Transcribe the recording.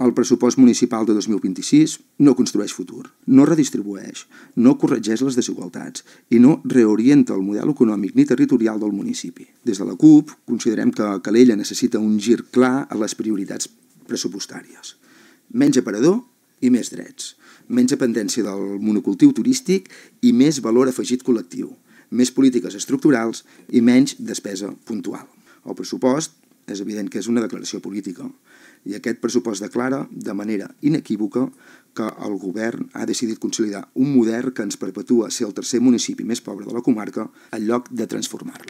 El pressupost municipal de 2026 no construeix futur, no redistribueix, no corregeix les desigualtats i no reorienta el model econòmic ni territorial del municipi. Des de la CUP considerem que Calella necessita un gir clar a les prioritats pressupostàries. Menys aparador i més drets, menys dependència del monocultiu turístic i més valor afegit col·lectiu, més polítiques estructurals i menys despesa puntual. El pressupost és evident que és una declaració política i aquest pressupost declara de manera inequívoca que el govern ha decidit consolidar un model que ens perpetua ser el tercer municipi més pobre de la comarca en lloc de transformar-lo.